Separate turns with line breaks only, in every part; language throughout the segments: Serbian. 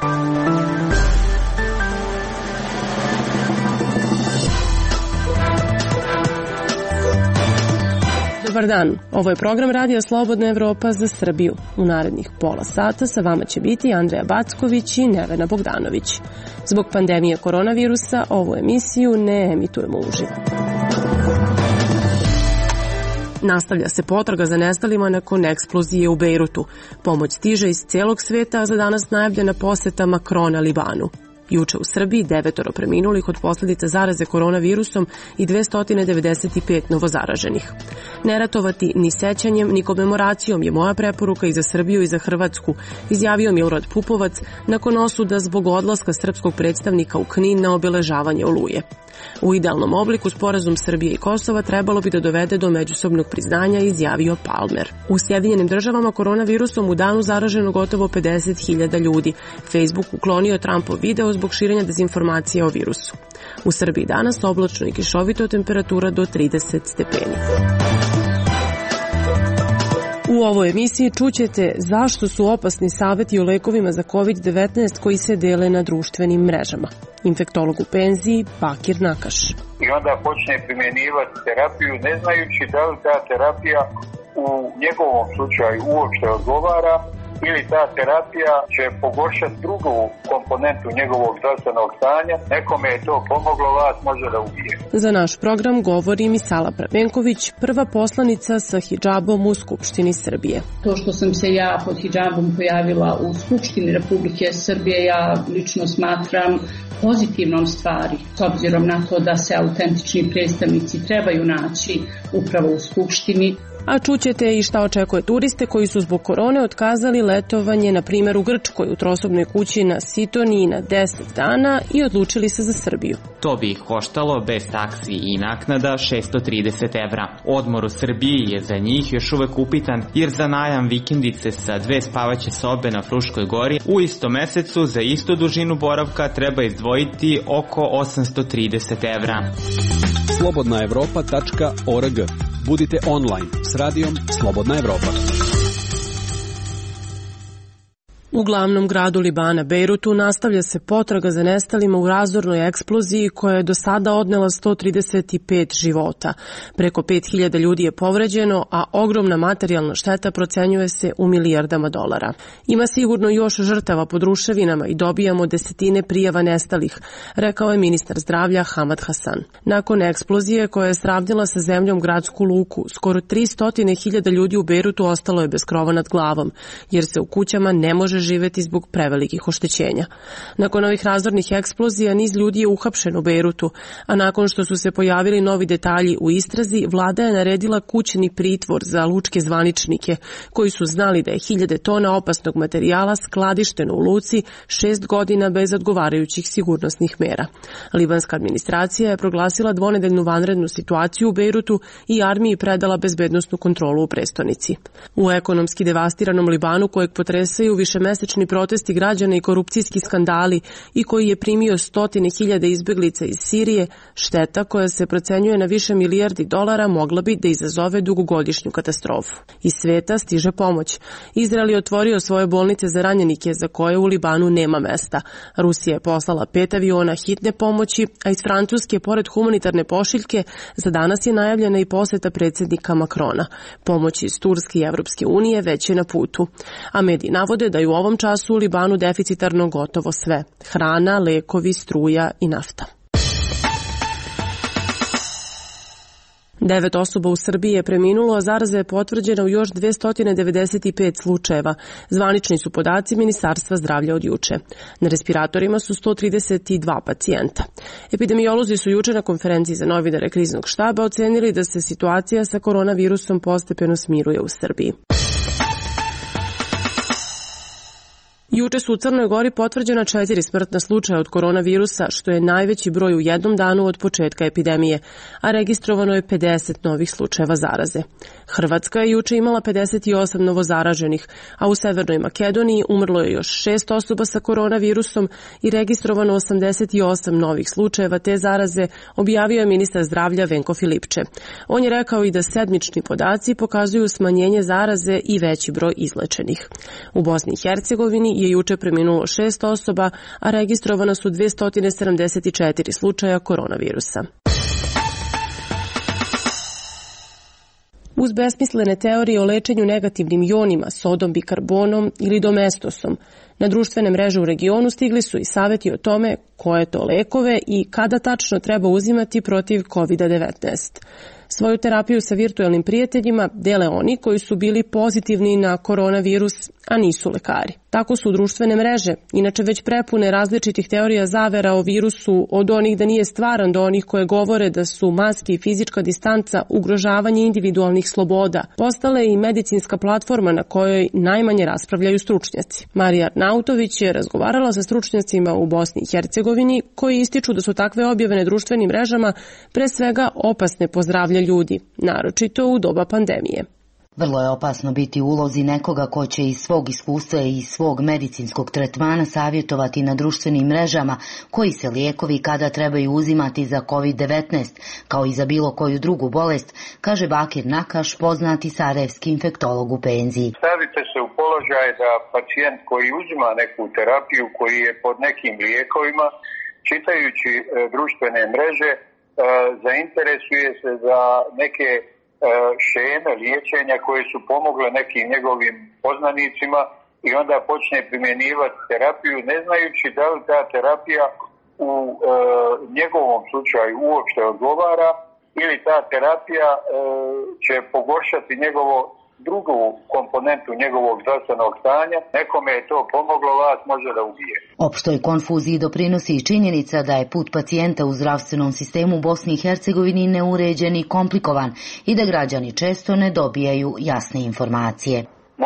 Dobar dan, ovo je program Radija Slobodna Evropa za Srbiju. U narednih pola sata sa vama će biti Andreja Backović i Nevena Bogdanović. Zbog pandemije koronavirusa ovu emisiju ne emitujemo uživo. Nastavlja se potraga za nestalima nakon eksplozije u Bejrutu. Pomoć stiže iz celog sveta, a za danas najavljena poseta Makrona Libanu. Juče u Srbiji 9 preminulih od posljedica zaraze koronavirusom i 295 novozaraženih. Ne ratovati ni sećanjem, ni komemoracijom je moja preporuka i za Srbiju i za Hrvatsku, izjavio Milorad Pupovac nakon osuda zbog odlaska srpskog predstavnika u Knin na obeležavanje Oluje. U idealnom obliku sporazum Srbije i Kosova trebalo bi da dovede do međusobnog priznanja, izjavio Palmer. U Sjedinjenim državama koronavirusom u danu zaraženo gotovo 50.000 ljudi. Facebook uklonio Trumpov video zbog širenja dezinformacija o virusu. U Srbiji danas oblačno i kišovito, temperatura do 30 stepeni. U ovoj emisiji čućete zašto su opasni saveti o lekovima za COVID-19 koji se dele na društvenim mrežama. Infektolog u penziji Bakir Nakaš.
I onda počne primjenjivati terapiju ne znajući da li ta terapija u njegovom slučaju uopšte odgovara ili ta terapija će pogoršati drugu komponentu njegovog zdravstvenog stanja. Nekome je to pomoglo, vas može da ubije.
Za naš program govori Misala Prvenković, prva poslanica sa hidžabom u Skupštini Srbije.
To što sam se ja pod hidžabom pojavila u Skupštini Republike Srbije, ja lično smatram pozitivnom stvari, s obzirom na to da se autentični predstavnici trebaju naći upravo u Skupštini.
A čućete i šta očekuje turiste koji su zbog korone otkazali letovanje, na primjer u Grčkoj, u trosobnoj kući na Sitoniji na 10 dana i odlučili se za Srbiju.
To bi ih koštalo bez taksi i naknada 630 evra. Odmor u Srbiji je za njih još uvek upitan, jer za najam vikendice sa 2 spavaće sobe na Fruškoj gori u istom mesecu za istu dužinu boravka treba izdvojiti oko 830 evra.
slobodnaevropa.org. Budite online s radijom Slobodna Evropa.
U glavnom gradu Libana, Bejrutu, nastavlja se potraga za nestalima u razornoj eksploziji koja je do sada odnela 135 života. Preko 5.000 ljudi je povređeno, a ogromna materijalna šteta procenjuje se u milijardama dolara. Ima sigurno još žrtava pod ruševinama i dobijamo desetine prijava nestalih, rekao je ministar zdravlja Hamad Hasan. Nakon eksplozije koja je sravnjila sa zemljom gradsku luku, skoro 300.000 ljudi u Bejrutu ostalo je bez krova nad glavom, jer se u kućama ne može živeti zbog prevelikih oštećenja. Nakon ovih razornih eksplozija niz ljudi je uhapšen u Bejrutu, a nakon što su se pojavili novi detalji u istrazi, vlada je naredila kućni pritvor za lučke zvaničnike koji su znali da je 1000 tona opasnog materijala skladišteno u luci 6 godina bez odgovarajućih sigurnosnih mera. Libanska administracija je proglasila dvonedeljnu vanrednu situaciju u Bejrutu i armiji predala bezbednosnu kontrolu u prestonici. U ekonomski devastiranom Libanu, kojeg potresaju višemesečni protesti građana i korupcijski skandali i koji je primio 100.000 izbeglica iz Sirije, šteta koja se procenjuje na više milijardi dolara mogla bi da izazove dugogodišnju katastrofu. Iz sveta stiže pomoć. Izrael je otvorio svoje bolnice za ranjenike za koje u Libanu nema mesta. Rusija je poslala 5 aviona hitne pomoći, a iz Francuske, pored humanitarne pošiljke, za danas je najavljena i poseta predsjednika Makrona. Pomoć iz Turske i Evropske unije već je na putu. A mediji navode da je u ovom času u Libanu deficitarno gotovo sve. Hrana, lekovi, struja i nafta. 9 osoba u Srbiji je preminulo, a zaraza je potvrđena u još 295 slučajeva. Zvanični su podaci Ministarstva zdravlja od juče. Na respiratorima su 132 pacijenta. Epidemiolozi su juče na konferenciji za novinare kriznog štaba ocenili da se situacija sa koronavirusom postepeno smiruje u Srbiji. Juče su u Crnoj Gori potvrđena 4 smrtna slučaja od koronavirusa, što je najveći broj u jednom danu od početka epidemije, a registrovano je 50 novih slučajeva zaraze. Hrvatska je juče imala 58 novozaraženih, a u Severnoj Makedoniji umrlo je još 6 osoba sa koronavirusom i registrovano 88 novih slučajeva te zaraze, objavio je ministar zdravlja Venko Filipče. On je rekao i da sedmični podaci pokazuju smanjenje zaraze i veći broj izlečenih. U Bosni i Hercegovini je juče preminulo 6 osoba, a registrovana su 274 slučaja koronavirusa. Uz besmislene teorije o lečenju negativnim jonima, sodom, bikarbonom ili domestosom, na društvene mreže u regionu stigli su i savjeti o tome koje to lekove i kada tačno treba uzimati protiv COVID-19. Svoju terapiju sa virtuelnim prijateljima dele oni koji su bili pozitivni na koronavirus, a nisu lekari. Tako su društvene mreže, inače već prepune različitih teorija zavera o virusu, od onih da nije stvaran do onih koje govore da su maske i fizička distanca ugrožavanje individualnih sloboda, postale i medicinska platforma na kojoj najmanje raspravljaju stručnjaci. Marija Arnautović je razgovarala sa stručnjacima u Bosni i Hercegovini koji ističu da su takve objave na društvenim mrežama pre svega opasne po zdravlje ljudi, naročito u doba pandemije.
Vrlo je opasno biti u ulozi nekoga ko će iz svog iskustva i iz svog medicinskog tretmana savjetovati na društvenim mrežama koji se lijekovi kada trebaju uzimati za COVID-19, kao i za bilo koju drugu bolest, kaže Bakir Nakaš, poznati sarajevski infektolog u penziji.
Stavite se u položaj da pacijent koji uzima neku terapiju, koji je pod nekim lijekovima, čitajući društvene mreže, zainteresuje se za neke šeme liječenja koje su pomogle nekim njegovim poznanicima i onda počne primjenjivati terapiju ne znajući da li ta terapija u njegovom slučaju uopšte odgovara ili ta terapija će pogoršati njegovo drugu komponentu njegovog zdravstvenog stanja. Nekome je to pomoglo, vas može da ubije.
Opštoj konfuziji doprinosi i činjenica da je put pacijenta u zdravstvenom sistemu u Bosni i Hercegovini neuređen i komplikovan i da građani često ne dobijaju jasne informacije.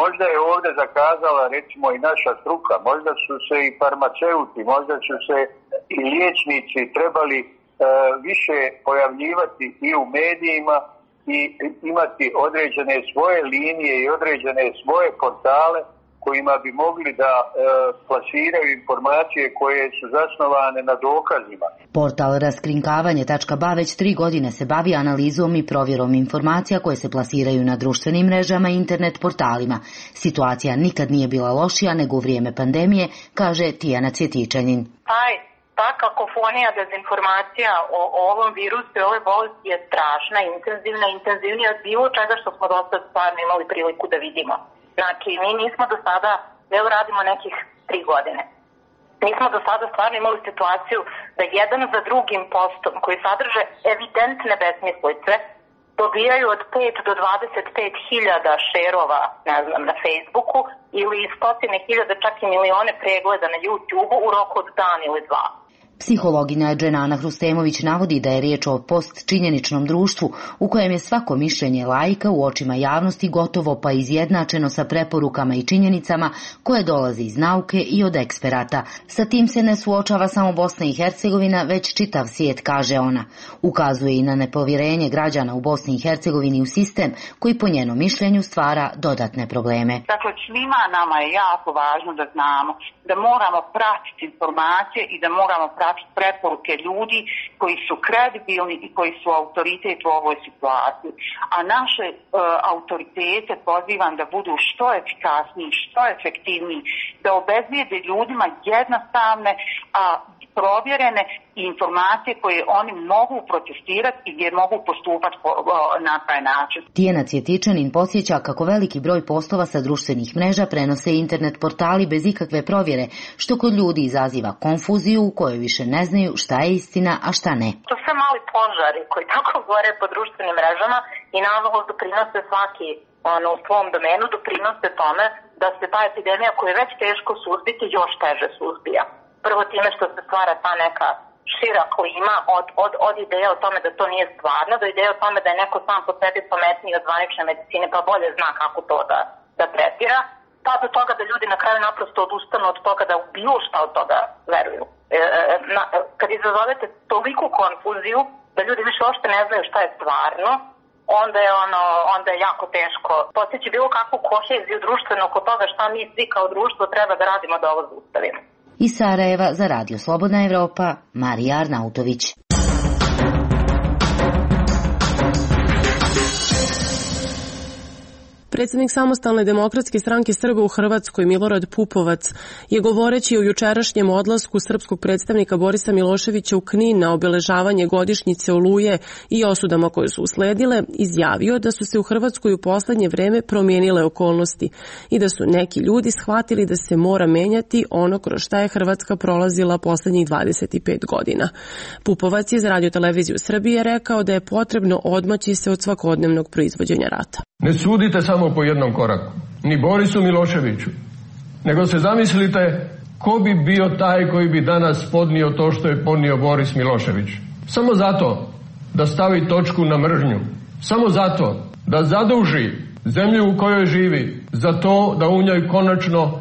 Možda je ovdje zakazala recimo i naša struka, možda su se i farmaceuti, možda su se i liječnici trebali više pojavljivati i u medijima i imati određene svoje linije i određene svoje portale kojima bi mogli da plasiraju informacije koje su zasnovane na dokazima.
Portal raskrinkavanje.ba već 3 godine se bavi analizom i provjerom informacija koje se plasiraju na društvenim mrežama i internet portalima. Situacija nikad nije bila lošija nego u vrijeme pandemije, kaže Tijana Cvjetičanin.
Ta kakofonija dezinformacija o ovom virusu i ovoj bolesti je strašna, intenzivnija od bilo čega što smo do sada stvarno imali priliku da vidimo. Znači, mi nismo do sada, evo radimo nekih 3 godine. Nismo do sada stvarno imali situaciju da jedan za drugim postom koji sadrže evidentne besmislice dobijaju od 5 do 25 hiljada šerova, ne znam, na Facebooku ili 100.000, čak i milione pregleda na YouTubeu u roku od dan ili 2.
Psihologinja Dženana Hrustemović navodi da je riječ o postčinjeničnom društvu u kojem je svako mišljenje laika u očima javnosti gotovo pa izjednačeno sa preporukama i činjenicama koje dolaze iz nauke i od eksperata. Sa tim se ne suočava samo Bosna i Hercegovina, već čitav svijet, kaže ona. Ukazuje i na nepovjerenje građana u Bosni i Hercegovini u sistem koji po njenom mišljenju stvara dodatne probleme.
Dakle, svima nama je jako važno da znamo da moramo pratiti informacije i da moramo pratiti preporuke ljudi koji su kredibilni i koji su autoritet u ovoj situaciji. A naše autoritete pozivam da budu što efikasniji, što efektivniji, da obezbijede ljudima jednostavne, provjerene informacije koje oni mogu protestirati i gdje mogu postupati na taj način.
Tijana Cvjetičanin podsjeća kako veliki broj postova sa društvenih mreža prenose internet portali bez ikakve provjere, što kod ljudi izaziva konfuziju u kojoj više ne znaju šta je istina, a šta ne.
To sve mali požari koji tako gore po društvenim mrežama i nažalost doprinose svaki u svom domenu, doprinose tome da se ta epidemija koja je već teško suzbiti još teže suzbija. Prvo time što se stvara ta neka šira klima od ideje o tome da to nije stvarno, do ideje o tome da je neko sam po sebi pametniji od zvanične medicine pa bolje zna kako to da tretira, pa do toga da ljudi na kraju naprosto odustanu od toga da u bilo šta od toga veruju. Kad izazovete toliku konfuziju da ljudi više uopšte ne znaju šta je stvarno, onda je jako teško postići bilo kakvu koheziju društveno oko toga šta mi svi kao društvo treba da radimo da ovo zaustavimo.
Iz Sarajeva za Radio Slobodna Evropa, Marija Arnautović.
Predsjednik Samostalne demokratske stranke Srba u Hrvatskoj Milorad Pupovac je govoreći o jučerašnjem odlasku srpskog predstavnika Borisa Miloševića u Knin na obeležavanje godišnjice Oluje i osudama koje su usledile, izjavio da su se u Hrvatskoj u poslednje vreme promijenile okolnosti i da su neki ljudi shvatili da se mora menjati ono kroz šta je Hrvatska prolazila poslednjih 25 godina. Pupovac je za Radio-televiziju Srbije rekao da je potrebno odmaći se od svakodnevnog proizvođenja rata.
Ne sudite samo po jednom koraku, ni Borisu Miloševiću, nego se zamislite ko bi bio taj koji bi danas podnio to što je podnio Boris Milošević. Samo zato da stavi točku na mržnju, samo zato da zaduži zemlju u kojoj živi, za to da u njoj konačno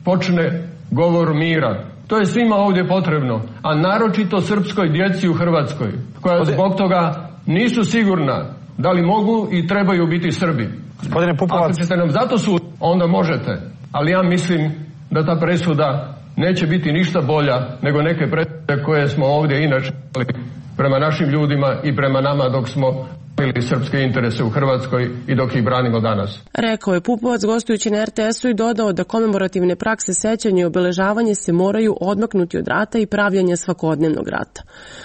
počne govor mira. To je svima ovdje potrebno, a naročito srpskoj djeci u Hrvatskoj, koja zbog toga nisu sigurna da li mogu i trebaju biti Srbi.
Gospodine Pupovac,
ako ćete nam zato suditi, onda možete, ali ja mislim da ta presuda neće biti ništa bolja nego neke presude koje smo ovdje inače prema našim ljudima i prema nama dok smo ili srpske interese u Hrvatskoj i dok ih branimo danas.
Rekao je Pupovac gostujući na RTS-u i dodao da komemorativne prakse sećanja i obeležavanje se moraju odmaknuti od rata i pravljanja svakodnevnog rata.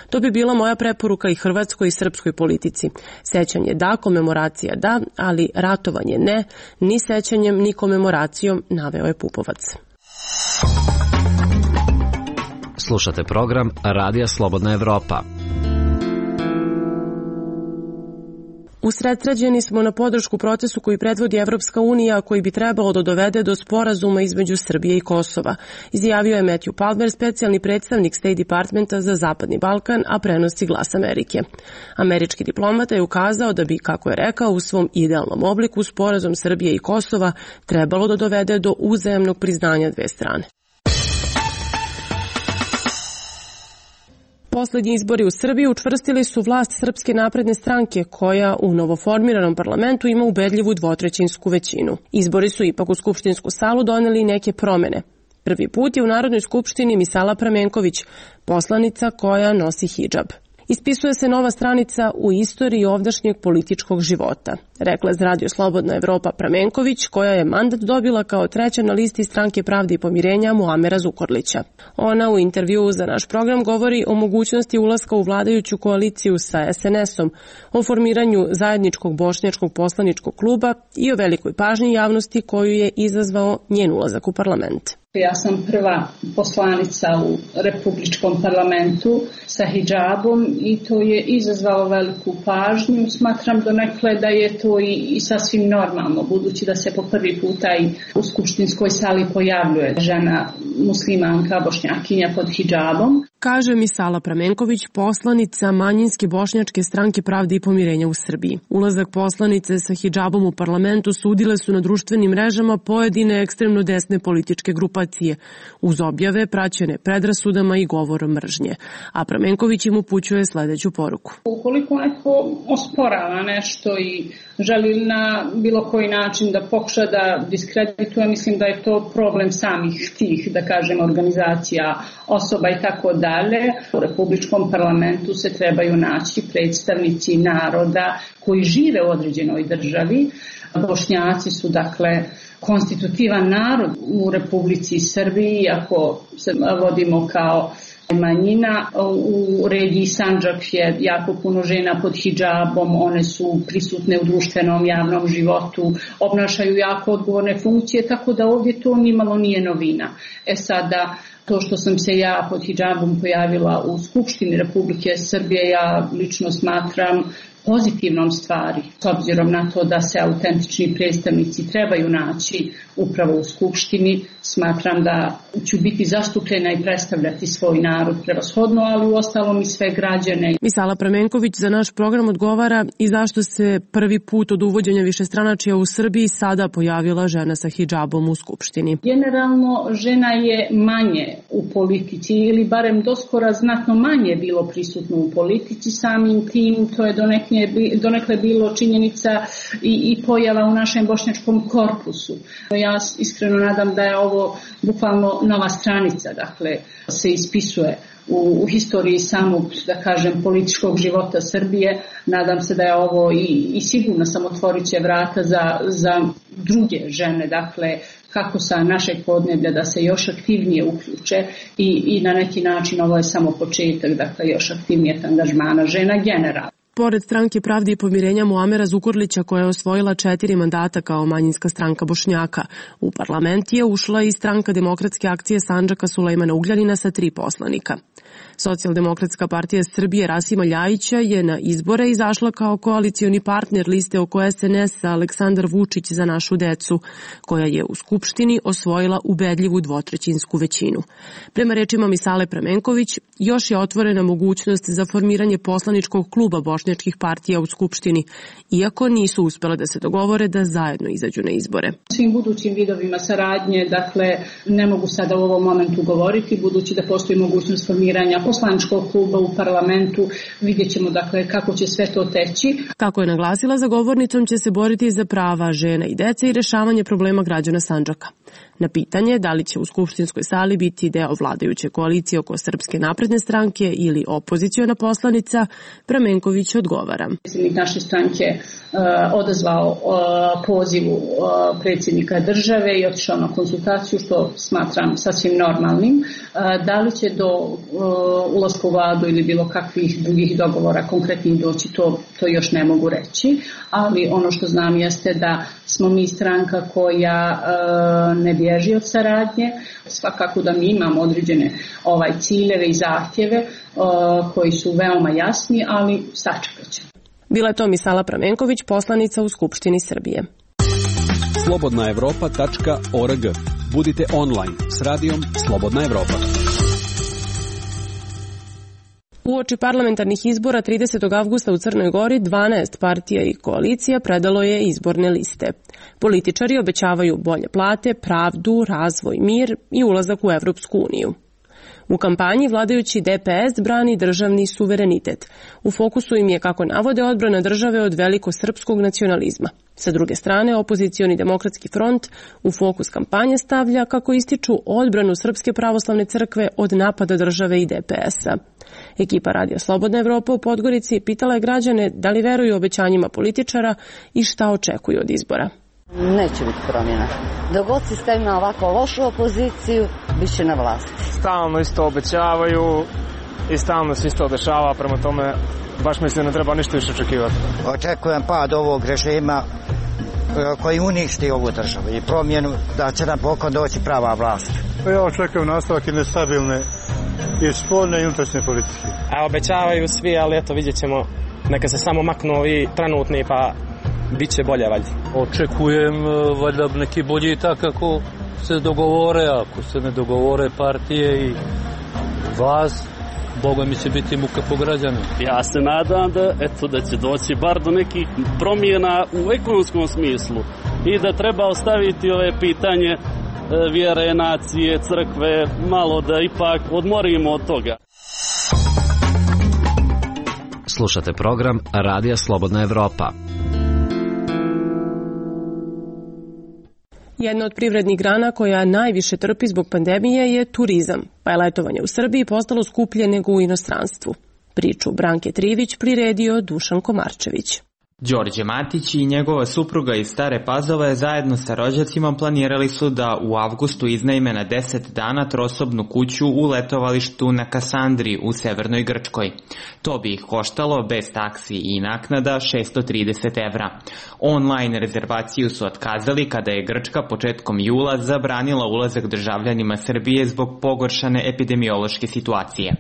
To bi bila moja preporuka i hrvatskoj i srpskoj politici. Sećanje da, komemoracija da, ali ratovanje ne, ni sećanjem ni komemoracijom, naveo je Pupovac.
Slušate program Radija Slobodna Evropa.
Usredsređeni smo na podršku procesu koji predvodi Evropska unija, koji bi trebalo da dovede do sporazuma između Srbije i Kosova, izjavio je Matthew Palmer, specijalni predstavnik State Departmenta za Zapadni Balkan, a prenosi Glas Amerike. Američki diplomata je ukazao da bi, kako je rekao, u svom idealnom obliku sporazum Srbije i Kosova trebalo da dovede do uzajamnog priznanja dve strane. Poslednji izbori u Srbiji učvrstili su vlast Srpske napredne stranke, koja u novoformiranom parlamentu ima ubedljivu dvotrećinsku većinu. Izbori su ipak u skupštinsku salu doneli neke promene. Prvi put je u Narodnoj skupštini Misala Pramenković, poslanica koja nosi hidžab. Ispisuje se nova stranica u istoriji ovdašnjeg političkog života, rekla za Radio Slobodna Evropa Pramenković, koja je mandat dobila kao treća na listi Stranke pravde i pomirenja Muamera Zukorlića. Ona u intervjuu za naš program govori o mogućnosti ulaska u vladajuću koaliciju sa SNS-om, o formiranju zajedničkog bošnjačkog poslaničkog kluba i o velikoj pažnji javnosti koju je izazvao njen ulazak u parlament.
Ja sam prva poslanica u Republičkom parlamentu sa hidžabom i to je izazvalo veliku pažnju. Smatram donekle da je to i sasvim normalno, budući da se po prvi puta i u skupštinskoj sali pojavljuje žena muslimanka, bošnjakinja pod hidžabom.
Kaže Misala Pramenković, poslanica manjinske bošnjačke Stranke pravde i pomirenja u Srbiji. Ulazak poslanice sa hidžabom u parlamentu sudile su na društvenim mrežama pojedine ekstremno desne političke grupacije, uz objave praćene predrasudama i govorom mržnje. A Pramenković im upućuje sledeću poruku.
Ukoliko neko osporava nešto i želi na bilo koji način da pokuša da diskredituje, mislim da je to problem samih tih, da kažem, organizacija, osoba i tako dalje. U Republičkom parlamentu se trebaju naći predstavnici naroda koji žive u određenoj državi. Bošnjaci su, dakle, konstitutivan narod u Republici Srbiji, ako se vodimo kao manjina. U regiji Sandžak je jako puno žena pod hidžabom, one su prisutne u društvenom javnom životu, obnašaju jako odgovorne funkcije, tako da ovdje to nimalo nije novina. Sada, to što sam se ja pod hidžabom pojavila u Skupštini Republike Srbije, ja lično smatram pozitivnom stvari, s obzirom na to da se autentični predstavnici trebaju naći upravo u Skupštini. Smatram da ću biti zastupljena i predstavljati svoj narod prevashodno, ali u ostalom i sve građane.
Misala Pramenković za naš program odgovara i zašto se prvi put od uvođenja višestranačja u Srbiji sada pojavila žena sa hidžabom u Skupštini.
Generalno žena je manje u politici ili barem doskora znatno manje bilo prisutno u politici, samim tim to je donekle bilo činjenica i pojava u našem bošnjačkom korpusu. Ja iskreno nadam da je ovo bukvalno nova stranica, dakle se ispisuje u historiji samog, da kažem, političkog života Srbije. Nadam se da je ovo i sigurno sam otvorit će vrata za druge žene, dakle, kako sa našeg podneblja da se još aktivnije uključe i na neki način ovo je samo početak, dakle, još aktivnijeg angažmana žena generalno.
Pored Stranke pravde i pomirenja Muamera Zukorlića, koja je osvojila 4 mandata kao manjinska stranka Bošnjaka, u parlament je ušla i Stranka demokratske akcije Sandžaka Sulejmana Ugljanina sa 3 poslanika. Socijaldemokratska partija Srbije Rasima Ljajića je na izbore izašla kao koalicioni partner liste oko SNS Aleksandar Vučić za našu decu, koja je u Skupštini osvojila ubedljivu dvotrećinsku većinu. Prema rečima Misale Pramenković, još je otvorena mogućnost za formiranje poslaničkog kluba bošnjačkih partija u Skupštini, iako nisu uspele da se dogovore da zajedno izađu na izbore.
Svim budućim vidovima saradnje, dakle, ne mogu sada u ovom momentu govoriti, budući da postoji mogućnost formiranja poslaničkog kluba u parlamentu, vidjet ćemo, dakle, kako će sve to teći.
Kako je naglasila, za govornicom će se boriti za prava žena i dece i rešavanje problema građana Sandžaka. Na pitanje da li će u skupštinskoj sali biti deo vladajuće koalicije oko Srpske napredne stranke ili opoziciona poslanica, Pramenković odgovara.
Predsjednik naše stranke odazvao pozivu predsjednika države i otišao na konsultaciju, što smatram sasvim normalnim. Da li će do ulaska u vladu ili bilo kakvih drugih dogovora konkretnih doći, to još ne mogu reći, ali ono što znam jeste da smo mi stranka koja ne bježi od saradnje, svakako da mi imamo određene ciljeve i zahtjeve koji su veoma jasni, ali sačekat ćemo.
Bila je to Misala Pramenković, poslanica u Skupštini Srbije.
slobodnaevropa.org. Budite online s radijom Slobodna Evropa.
Uoči parlamentarnih izbora 30. avgusta u Crnoj Gori 12 partija i koalicija predalo je izborne liste. Političari obećavaju bolje plate, pravdu, razvoj, mir i ulazak u Evropsku uniju. U kampanji vladajući DPS brani državni suverenitet. U fokusu im je, kako navode, odbrana države od velikosrpskog nacionalizma. Sa druge strane, opozicioni demokratski front u fokus kampanje stavlja, kako ističu, odbranu Srpske pravoslavne crkve od napada države i DPS-a. Ekipa Radija Slobodna Evropa u Podgorici pitala je građane da li veruju obećanjima političara i šta očekuju od izbora.
Neće biti promjena. Dok god se stavim na ovako lošu opoziciju, bit će na vlasti.
Stalno isto obećavaju i stalno se isto dešava, prema tome baš mislim da ne treba ništa više očekivati.
Očekujem pad ovog režima koji uništi ovu državu i promjenu da će napokon doći prava vlast.
Ja očekujem nastavak jedne stabilne i spoljne i unutrašnje politike.
A obećavaju svi, ali eto vidjet ćemo, neka se samo maknu i trenutni pa bit će bolje valjda.
Očekujem valjda neki bolji tak kako se dogovore, ako se ne dogovore partije i vlast, Boga mi će biti muka po građanu.
Ja se nadam da će doći bar do nekih promjena u ekonomskom smislu i da treba ostaviti ove pitanje vjere, nacije, crkve, malo da ipak odmorimo od toga.
Slušate program Radija Slobodna Evropa.
Jedna od privrednih grana koja najviše trpi zbog pandemije je turizam, pa je letovanje u Srbiji postalo skuplje nego u inostranstvu. Priču Branke Trivić priredio Dušan Komarčević.
Đorđe Matić i njegova supruga iz Stare Pazove zajedno sa rođacima planirali su da u avgustu iznajme na 10 dana trosobnu kuću u letovalištu na Kasandri u severnoj Grčkoj. To bi ih koštalo bez taksi i naknada 630 evra. Online rezervaciju su otkazali kada je Grčka početkom jula zabranila ulazak državljanima Srbije zbog pogoršane epidemiološke situacije.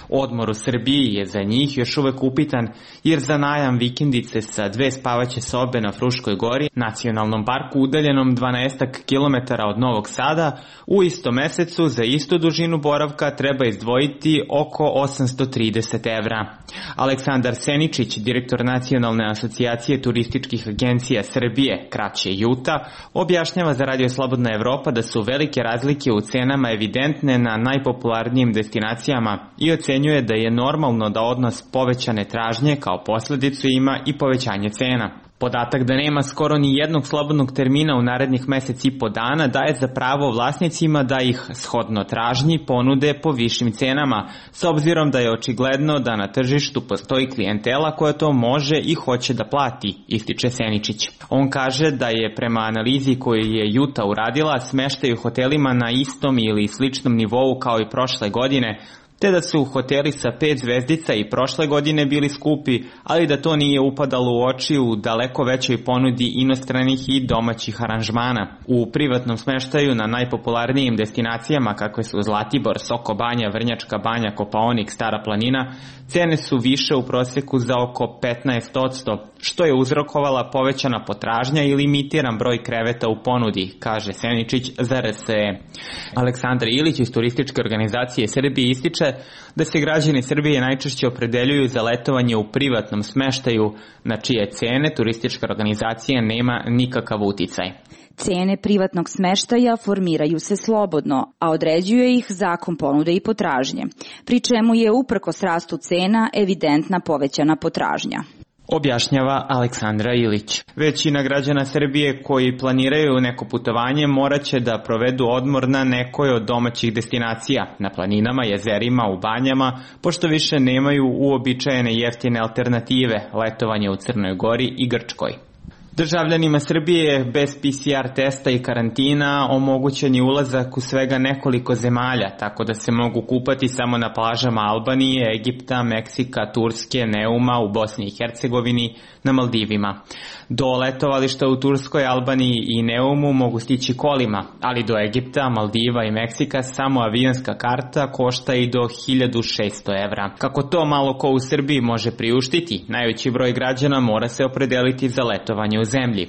Odmor u Srbiji je za njih još uvek upitan, jer za najam vikendice sa 2 spavaće sobe na Fruškoj gori, nacionalnom parku udaljenom 12 km od Novog Sada, u istom mesecu za istu dužinu boravka treba izdvojiti oko 830 evra. Aleksandar Seničić, direktor Nacionalne asocijacije turističkih agencija Srbije, kraće JUTA, objašnjava za Radio Slobodna Evropa da su velike razlike u cenama evidentne na najpopularnijim destinacijama i ocenjuje da je normalno da odnos povećane tražnje kao posledicu ima i povećanje cena. Podatak da nema skoro ni jednog slobodnog termina u narednih mesec i po dana daje za pravo vlasnicima da ih, shodno tražnji, ponude po višim cenama, s obzirom da je očigledno da na tržištu postoji klijentela koja to može i hoće da plati, ističe Seničić. On kaže da je prema analizi koju je Juta uradila smeštaj u hotelima na istom ili sličnom nivou kao i prošle godine, te da su hoteli sa 5 zvezdica i prošle godine bili skupi, ali da to nije upadalo u oči u daleko većoj ponudi inostranih i domaćih aranžmana. U privatnom smeštaju na najpopularnijim destinacijama kakve su Zlatibor, Soko Banja, Vrnjačka Banja, Kopaonik, Stara planina, cene su više u proseku za oko 15%, što je uzrokovala povećana potražnja i limitiran broj kreveta u ponudi, kaže Seničić za RSE. Aleksandar Ilić iz Turističke organizacije Srbije ističe da se građani Srbije najčešće opredeljuju za letovanje u privatnom smeštaju, na čije cene turistička organizacija nema nikakav uticaj.
Cene privatnog smeštaja formiraju se slobodno, a određuje ih zakon ponude i potražnje, pri čemu je uprkos rastu cena evidentna povećana potražnja.
Objašnjava Aleksandra Ilić. Većina građana Srbije koji planiraju neko putovanje morat će da provedu odmor na nekoj od domaćih destinacija, na planinama, jezerima, u banjama, pošto više nemaju uobičajene jeftine alternative, letovanje u Crnoj Gori i Grčkoj. Državljanima Srbije bez PCR testa i karantina omogućen je ulazak u svega nekoliko zemalja, tako da se mogu kupati samo na plažama Albanije, Egipta, Meksika, Turske, Neuma, u Bosni i Hercegovini, na Maldivima. Do letovališta u Turskoj, Albaniji i Neumu mogu stići kolima, ali do Egipta, Maldiva i Meksika samo avionska karta košta i do 1600 evra. Kako to malo ko u Srbiji može priuštiti, najveći broj građana mora se opredeliti za letovanje u zemlji.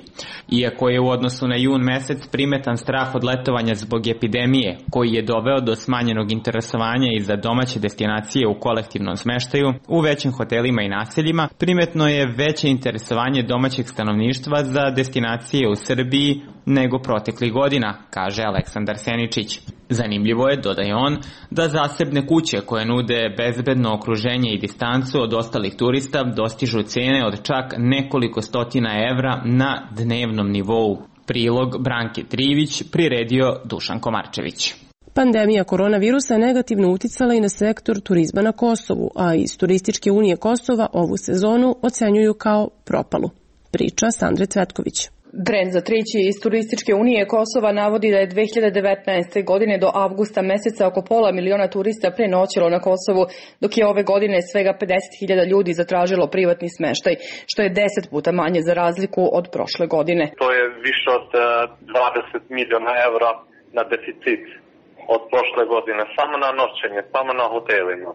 Iako je u odnosu na jun mesec primetan strah od letovanja zbog epidemije, koji je doveo do smanjenog interesovanja i za domaće destinacije u kolektivnom smeštaju, u većim hotelima i naseljima, primetno je veće interesovanje domaćeg stanovništva za destinacije u Srbiji nego proteklih godina, kaže Aleksandar Seničić. Zanimljivo je, dodaje on, da zasebne kuće koje nude bezbedno okruženje i distancu od ostalih turista dostižu cene od čak nekoliko stotina evra na dnevnom nivou. Prilog Branke Trivić priredio Dušan Komarčević.
Pandemija koronavirusa je negativno uticala i na sektor turizma na Kosovu, a iz Turističke unije Kosova ovu sezonu ocenjuju kao propalu. Priča Sandre Cvetković.
Brend za Trići iz Turističke unije Kosova navodi da je 2019. godine do avgusta meseca oko 500.000 turista prenoćilo na Kosovu, dok je ove godine svega 50.000 ljudi zatražilo privatni smeštaj, što je 10 puta manje za razliku od prošle godine.
To je više od 20 miliona evra na deficit od prošle godine, samo na noćenje, samo na hotelima.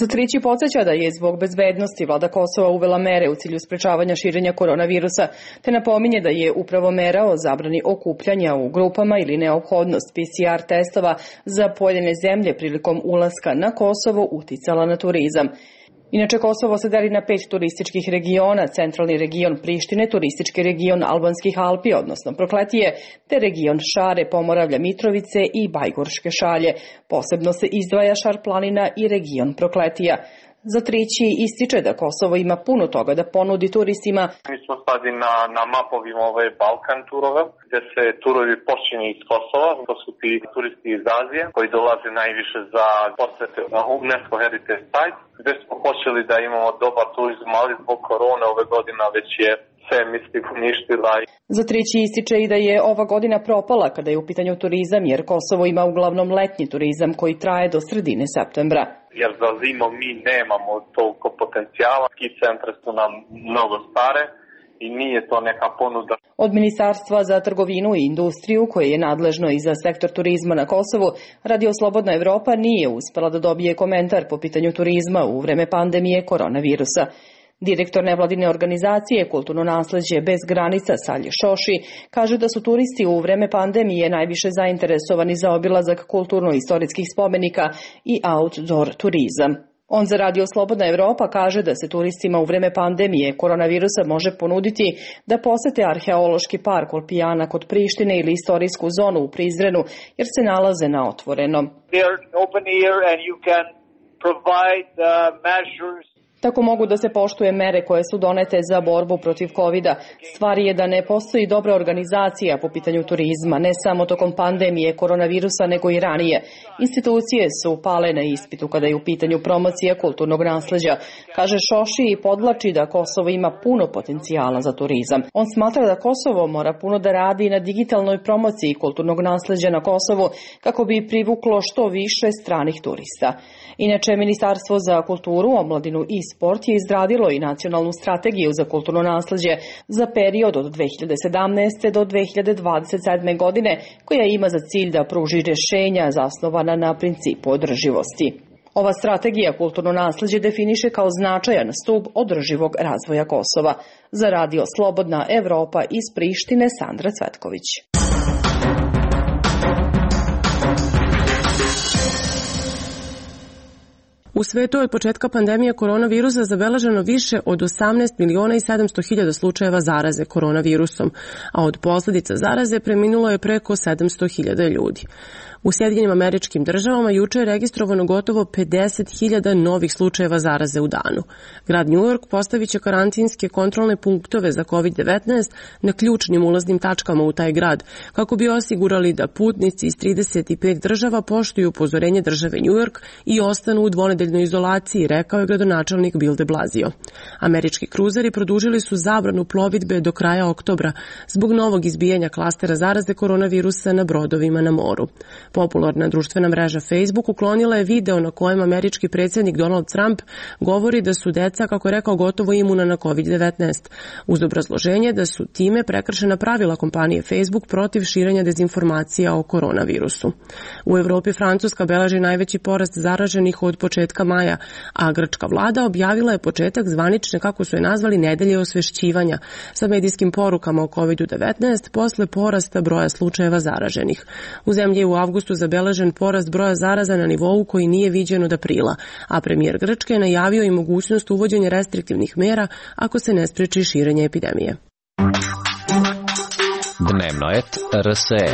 Za Trići podsjeća da je zbog bezbednosti vlada Kosova uvela mere u cilju sprečavanja širenja koronavirusa, te napominje da je upravo mera o zabrani okupljanja u grupama ili neophodnost PCR testova za pojedine zemlje prilikom ulaska na Kosovo uticala na turizam. Inače, Kosovo se deli na 5 turističkih regiona, centralni region Prištine, turistički region Albanskih Alpi, odnosno Prokletije, te region Šare, Pomoravlja, Mitrovice i Bajgorške Šalje. Posebno se izdvaja Šar planina i region Prokletija. Za Trići ističe da Kosovo ima puno toga da ponudi turistima.
Mi smo stadi na mapovima ove Balkan turove, gdje se turovi počinju iz Kosova. To su ti turisti iz Azije koji dolaze najviše za posjete na UNESCO Heritage Site, gdje smo počeli da imamo dobar turizam, ali zbog korone ove godine već je sve uništila.
Za Trići ističe i da je ova godina propala kada je u pitanju turizam, jer Kosovo ima uglavnom letnji turizam koji traje do sredine septembra.
Jer za zimu mi nemamo toliko potencijala, ski centre su nam mnogo stare i nije to neka ponuda.
Od Ministarstva za trgovinu i industriju, koje je nadležno i za sektor turizma na Kosovu, Radio Slobodna Evropa nije uspela da dobije komentar po pitanju turizma u vreme pandemije koronavirusa. Direktor nevladine organizacije Kulturno nasleđe bez granica Salje Šoši kaže da su turisti u vreme pandemije najviše zainteresovani za obilazak kulturno-istorijskih spomenika i outdoor turizam. On za Radio Slobodna Evropa kaže da se turistima u vreme pandemije koronavirusa može ponuditi da posete arheološki park Olpijana kod Prištine ili istorijsku zonu u Prizrenu, jer se nalaze na otvorenom. Tako mogu da se poštuje mere koje su donete za borbu protiv COVID-a. Stvar je da ne postoji dobra organizacija po pitanju turizma, ne samo tokom pandemije koronavirusa, nego i ranije. Institucije su pale na ispitu kada je u pitanju promocija kulturnog nasleđa. Kaže Šoši i podvlači da Kosovo ima puno potencijala za turizam. On smatra da Kosovo mora puno da radi na digitalnoj promociji kulturnog nasleđa na Kosovu kako bi privuklo što više stranih turista. Inače, Ministarstvo za kulturu, omladinu i sport je izradilo i nacionalnu strategiju za kulturno nasleđe za period od 2017. do 2027. godine, koja ima za cilj da pruži rješenja zasnovana na principu održivosti. Ova strategija kulturno nasleđe definiše kao značajan stub održivog razvoja Kosova. Za Radio Slobodna Evropa iz Prištine, Sandra Cvetković.
U svetu je od početka pandemije koronavirusa zabeleženo više od 18.700.000 slučajeva zaraze koronavirusom, a od posljedica zaraze preminulo je preko 700.000 ljudi. U Sjedinjenim Američkim Državama juče je registrovano gotovo 50.000 novih slučajeva zaraze u danu. Grad New York postavit će karantinske kontrolne punktove za COVID-19 na ključnim ulaznim tačkama u taj grad, kako bi osigurali da putnici iz 35 država poštuju upozorenje države New York i ostanu u dvonedeljnoj izolaciji, rekao je gradonačelnik Bill de Blasio. Američki kruzeri produžili su zabranu plovidbe do kraja oktobra zbog novog izbijanja klastera zaraze koronavirusa na brodovima na moru. Popularna društvena mreža Facebook uklonila je video na kojem američki predsjednik Donald Trump govori da su deca, kako je rekao, gotovo imuna na COVID-19, uz obrazloženje da su time prekršena pravila kompanije Facebook protiv širenja dezinformacija o koronavirusu. U Evropi Francuska beleži najveći porast zaraženih od početka maja, a grčka vlada objavila je početak zvanične, kako su je nazvali, nedelje osvešćivanja sa medijskim porukama o COVID-19 posle porasta broja slučajeva zaraženih. U zemlji je u avgustu zabeležen porast broja zaraza na nivou koji nije viđen od aprila, a premijer Grčke je najavio i mogućnost uvođenja restriktivnih mera ako se ne spreči širenje epidemije.
Dnevnoet RSE.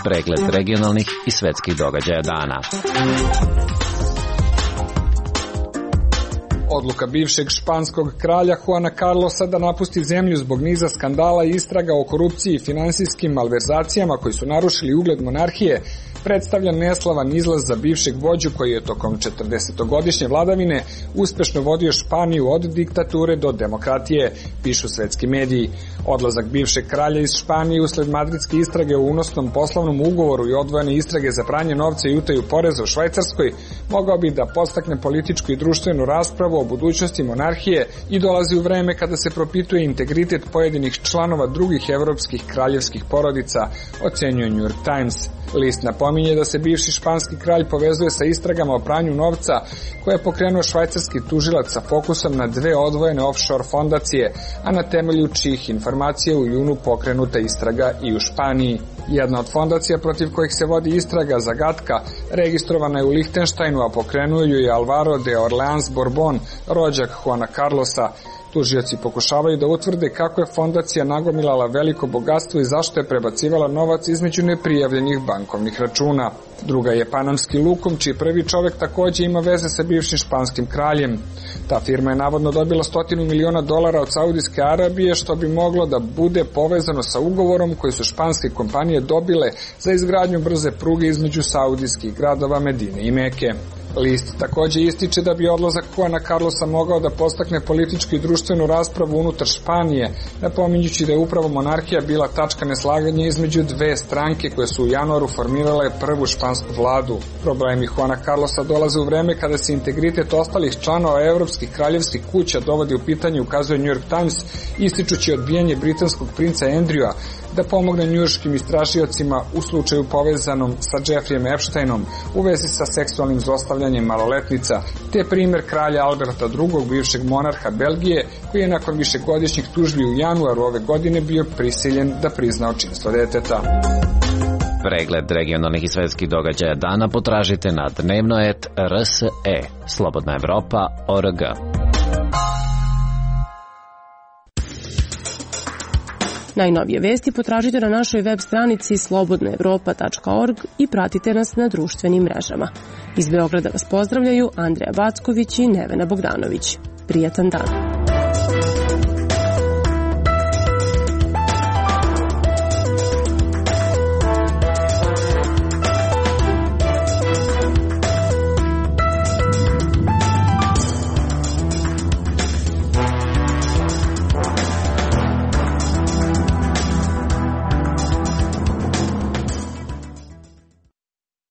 Pregled regionalnih i svetskih događaja dana.
Odluka bivšeg španskog kralja Juana Carlosa da napusti zemlju zbog niza skandala i istraga o korupciji i finansijskim malverzacijama koji su narušili ugled monarhije predstavlja neslavan izlaz za bivšeg vođu koji je tokom 40-godišnje vladavine uspešno vodio Španiju od diktature do demokratije, pišu svetski mediji. Odlazak bivšeg kralja iz Španije usled madridske istrage o unosnom poslovnom ugovoru i odvojene istrage za pranje novca i utaju poreza u Švajcarskoj mogao bi da podstakne političku i društvenu raspravu o budućnosti monarhije i dolazi u vreme kada se propituje integritet pojedinih članova drugih evropskih kraljevskih porodica, ocenjuje New York Times. List napominje da se bivši španski kralj povezuje sa istragama o pranju novca koje je pokrenuo švajcarski tužilac sa fokusom na dve odvojene offshore fondacije, a na temelju čijih informacija u junu pokrenuta istraga i u Španiji. Jedna od fondacija protiv kojih se vodi istraga, Zagatka, registrovana je u Lihtenštajnu, a pokrenuo ju je Alvaro de Orleans Borbon, rođak Juana Carlosa. Tužioci pokušavaju da utvrde kako je fondacija nagomilala veliko bogatstvo i zašto je prebacivala novac između neprijavljenih bankovnih računa. Druga je Panamski Lukom, čiji prvi čovek takođe ima veze sa bivšim španskim kraljem. Ta firma je navodno dobila $100 miliona od Saudijske Arabije, što bi moglo da bude povezano sa ugovorom koji su španske kompanije dobile za izgradnju brze pruge između saudijskih gradova Medine i Meke. List takođe ističe da bi odlazak Juana Carlosa mogao da podstakne političku i društvenu raspravu unutar Španije, napominjući da je upravo monarhija bila tačka neslaganja između dve stranke koje su u januaru formirale prvu špansku vladu. Problemi Juana Carlosa dolaze u vreme kada se integritet ostalih članova evropskih kraljevskih kuća dovodi u pitanje, ukazuje New York Times, ističući odbijanje britanskog princa Andrewa da pomogne njujorškim istražiocima u slučaju povezanom sa Jeffreyem Epsteinom u vezi sa seksualnim zlostavljanjem maloletnica, te primer kralja Alberta II, bivšeg monarha Belgije, koji je nakon višegodišnjih tužbi u januaru ove godine bio prisiljen da prizna očinstvo deteta.
Pregled regionalnih i svetskih događaja dana potražite na Dnevnoet RSE, Slobodna Evropa.org.
Najnovije vesti potražite na našoj web stranici slobodnaevropa.org i pratite nas na društvenim mrežama. Iz Beograda vas pozdravljaju Andreja Backović i Nevena Bogdanović. Prijatan dan.